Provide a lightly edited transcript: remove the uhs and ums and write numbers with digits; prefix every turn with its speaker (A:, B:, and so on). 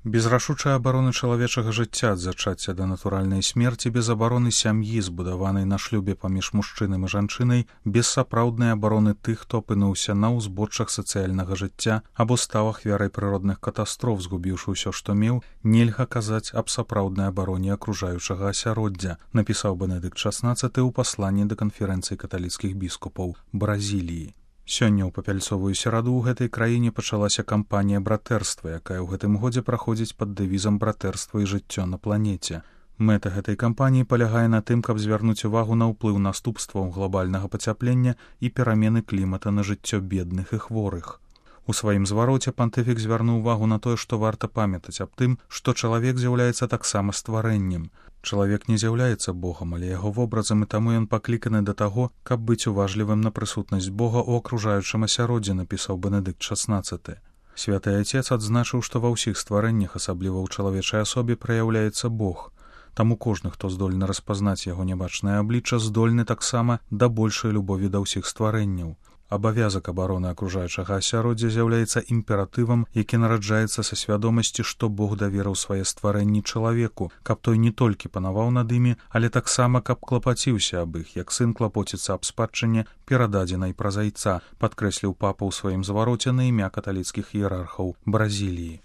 A: Без рашучай абароны чалавечага жыцця ад зачацця да натуральнай смерці, без абароны сям'і, збудаванай на шлюбе паміж мужчынам і жанчынай, без сапраўднай абароны тых, хто апынуўся на ўзбоччах сацыяльнага жыцця або стаў ахвярай прыродных катастроф, згубіўшы ўсё, што меў, нельга казаць аб сапраўднай абароне акружаючага асяроддзя, напісаў Бенедыкт XVI ў пасланні да канферэнцыі каталіцкіх біскупаў Бразіліі. Сёння ў папяльцовую сераду ў гэтай краіне пачалася кампанія братэрства, якая ў гэтым годзе праходзіць пад дэвізам братэрства і жыццё на планеце. Мэта гэтай кампаніі палягае на тым, каб звярнуць увагу на ўплыў наступстваў глобальнага пацяплення і перамены клімата на жыццё бедных і хворых. У сваім звароце пантыфік звярнуў увагу на тое, што варта памятаць аб тым, што чалавек з'яўляецца таксама стварэннем. Чалавек не з'яўляецца Богам, але яго вобразам, і таму ён пакліканы да таго, каб быць уважлівым на прысутнасць Бога ў акружаючым асяроддзі, напісаў Бенедыкт XVI. Святы Айцец адзначыў, што ва ўсіх стварэннях, асабліва ў чалавечай асобе, праяўляецца Бог. Таму кожны, хто здольны распазнаць яго нябачнае аблічча, здольны таксама да большай любові да ўсіх стварэнняў. Абавязак абароны акружаючага асяроддзя з'яўляецца імператывам, які нараджаецца са свядомасці, што Бог даверыў свае стварэнні чалавеку, каб той не толькі панаваў над імі, але таксама каб клапаціўся аб іх, як сын клапоціцца аб спадчыне, перададзенай праз айца, падкрэсліў папа ў сваім звароце на імя каталіцкіх іерархаў Бразіліі.